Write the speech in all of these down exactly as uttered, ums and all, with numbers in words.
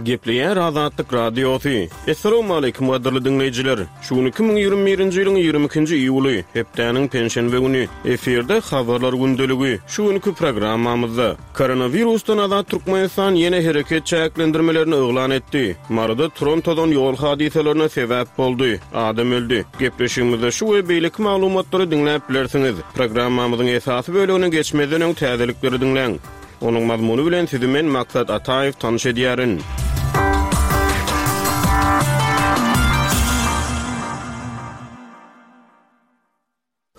Gepleýär Azatlyk Radiosy. Essalawmaleýkim gadyrly diňleýjiler. Şu gün iki müň ýigrimi birinji ýylyň ýigrimi ikinji iýuly, hepdäniň penşenbe güni. Efirde Habarlar gündeligi. Şu günki programmamyzda Koronawirusdan azat Türkmenistan ýene hereket çäklendirmelerini yglan etdi. Maryda turan tozan ýol hadysalaryna sebäp boldy. Adam öldi. Gepleşigimizde şu we beýleki maglumatlary diňläp bilersiňiz. Programmamyzyň esasy bölegine geçmezden öň täzelikleri diňläň. Onuň mazmuny bilen sizi men Maksat Ataýew tanyş edýärin.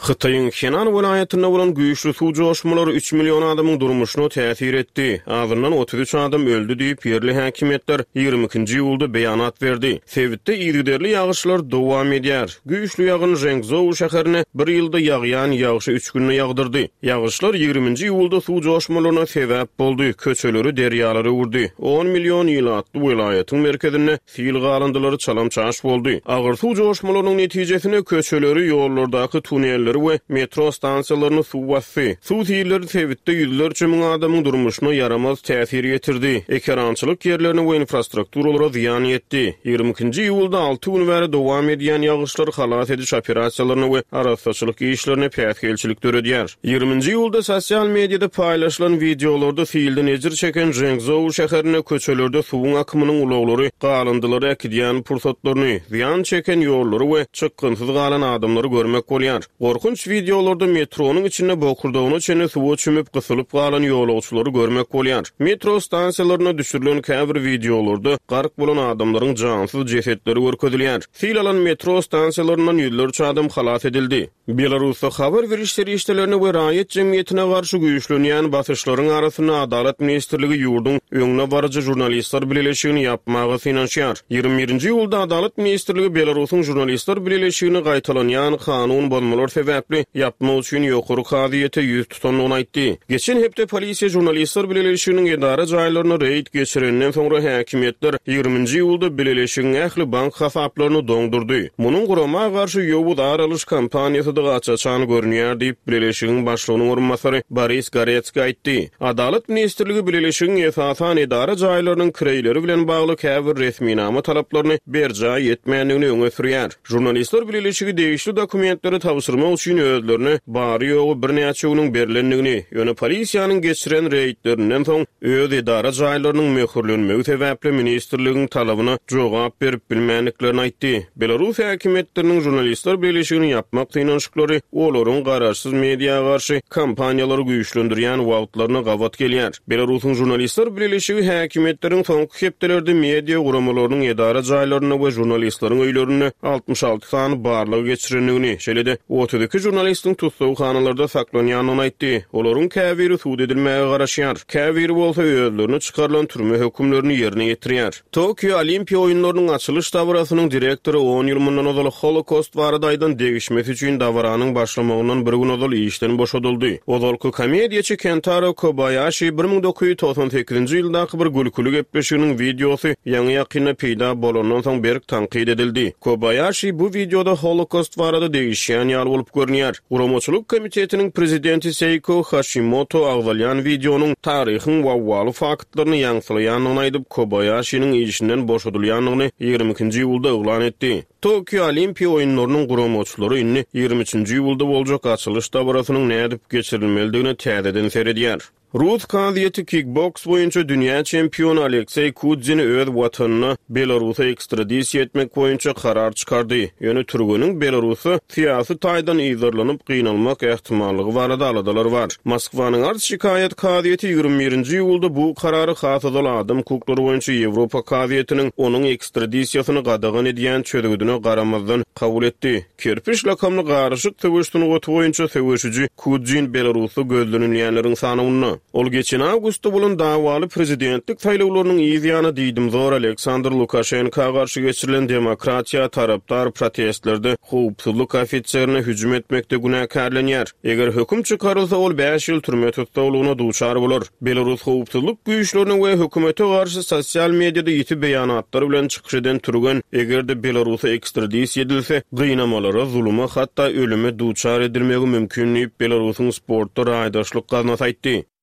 Hytaýyň Henan welaýatynda bolan güýçli suw joşmalary üç million adamyň durmuşyna täsir etdi. Azyndan otuz üç adam öldi diýip, ýerli häkimiýetler ýigrimi ikinji iýulda beýanat berdi. Sebitde yzygiderli ýagyşlar dowam edýär. Güýçli ýagyn Žengzhou şäherine bir ýylda ýagýan ýagşy üç günde ýagdyrdy. Ýagyşlar ýigriminji iýulda suw joşmalaryna sebäp boldy, köçeleri derýalara öwürdi. On million ilatly welaýatyň merkezinde sil galyndylary çalam-çaş boldy. Agyr suw joşmalarynyň netijesinde köçeleri, ýollardaky tunelleri we metro stansiýalaryny suw basdy. Suw silleri sebitde ýüzlerçe müň adamyň durmuşyna ýaramaz täsir ýetirdi, ekerançylyk ýerlerine we infrastrukturalara zyýan ýetdi. Ýigrimi ikinji iýulda alty gün bäri dowam edýän ýagyşlar halas ediş operasiýalaryna we arassaçylyk işlerine päsgelçilik döredýär. Ýigriminji iýulda sosial mediada paýlaşylan wideolarda silden ejir çeken Žengzhou şäherinde köçelerde suwuň akymynyň ulaglary galyndylary äkidýän pursatlaryny, zyýan çeken ýollary we çykgynsyz galan adamlary görmek bolýar. Gorkunç wideolarda metronyň içinde bokurdagyna çenli suwa çümüp gysylyp galan ýolagçylary görmek bolýar. Metro stansiýalarynda düşürilen käbir wideolarda gark bolan adamlaryň jansyz jesetleri görkezilýär. Sil alan metro stansiýalaryndan ýüzlerçe adam halas edildi. Belarusda habar beriş serişdelerine we raýat jemgyýetine garşy güýçlenýän basyşlaryň arasynda Adalat ministrligi ýurduň öňde baryjy žurnalistler bileleşigini ýapmaga synanyşýar. Ýigrimi birinji iýulda Adalat ministrligi Belarusyň žurnalistler bileleşigini gaýtalanýan kanun bozmalar sebäpli ýapmak üçin ýokary kazyýete ýüz tutandygyny aýtdy. Geçen hepde polisiýa žurnalistler bileleşiginiň edara jaýlaryna reýd geçirenden soňra häkimiýetler ýigriminji iýulda bileleşigiň ähli bank hasaplaryny doňdurdy. Munuň gurama garşy ýowuz ar alyş kampaniýasydygy aç-açan görünýär diýip, bileleşigiň başlygynyň orunbasary Boris Goretskiý aýtdy. Adalat ministrligi bileleşigiň esasan edara jaýlarynyň kireýleri bilen bagly käbir resminama talaplaryny berjaý etmändigini öňe sürýär. Žurnalistler bileleşigi degişli dokumentleri tabşyrmak üçin özlerine bary-ýogy birnäçe günüň berlendigini, ýöne polisiýanyň geçiren reýdlerinden soň öz edara jaýlarynyň möhürlenmegi sebäpli ministrligiň talabyna jogap berip bilmändiklerini aýtdy. Belarus häkimiýetleriniň žurnalistler bileleşigini ýapmak synanyşyklary olaryň garaşsyz media garşy kampaniýalary güýçlendirýän wagtlaryna gabat gelýär. Belarusyň žurnalistler bileleşigi häkimiýetleriň soňky hepdelerde media guramalarynyň edara jaýlarynda we žurnalistleriň öýlerinde altmyş alty sany barlag geçirendigini, şeýle-de otuz iki žurnalistiň tussaghanalarda saklanýandygyny aýtdy. Olaryň käbiri sud edilmäge garaşýar, käbiri bolsa özlerine çykarylan türme hökümlerini ýerine ýetirýär. Tokio Olimpiýa oýunlarynyň açylyş dabarasynyň direktory on ýyl mundan ozal Holokost barada aýdan degişmesi üçin dabaranyň başlamagyndan bir gün ozal işden boşadyldy. Ozalky komediýaçy Kentaro Kobaýaşi bir müň dokuz ýüz togsan sekizinji ýyldaky bir gülküli gepleşiginiň wideosy ýaňy-ýakynda peýda bolandan soň berk tankyt edildi. Kobaýaşi bu wideoda Holokost barada degişýän ýaly bolup görünýär. Guramaçylyk komitetiniň prezidenti Seýko Haşimoto agzalýan wideonyň taryhyň wawwaly faktlaryny ýaňsylaýandygyny aýdyp, Kobaýaşiniň işinden boşadylýandygyny ýigrimi ikinji iýulda yglan etdi. Tokio Olimpiýa oýunlarynyň guramaçylary indi ýigrimi üçünji iýulda boljak açylyş dabarasynyň nädip geçirilmelidigine täzeden seredýär. Rus kazyýeti kikboks boýunça dünýä çempiony Alekseý Kudzini öz watanyna Belarusa ekstradisiýa etmek boýunça karar çykardy. Ýöne türgeniň Belarusda syýasy taýdan yzarlanyp gynalmak ähtimallygy barada aladalar bar. Moskwanyň arz-şikaýat kazyýeti ýigrimi birinji iýulda bu karary has ozal adam hukuklary boýunça Ýewropa kazyýetiniň onuň ekstradisiýasyny gadagan edýän çözgüdine garamazdan kabul etdi. Kerpiç lakamly garyşyk söweş sungaty boýunça söweşiji Kudzin Belarusda gözlenilýänleriň sanawynda. Ol geçen awgustda bolan dawaly prezidentlik saýlawlarynyň yz ýany diýdimzor Aleksandr Lukaşenka garşy geçirilen demokratiýa tarapdar protestlerde howpsuzlyk ofiserine hüjüm etmekde günäkärlenýär. Eger höküm çykarylsa, ol bäş ýyl türme tussaglygyna duçar bolar. Belarus howpsuzlyk güýçlerine we hökümete garşy sosial mediada ýiti beýanatlar bilen çykyş eden türgen, eger-de Belarusa ekstradisiýa edilse, gynamalara, zuluma, hatda ölüme duçar edilmegi mümkin diýip, Belarusyň sportda raýdaşlyk gaznasy aýtdy.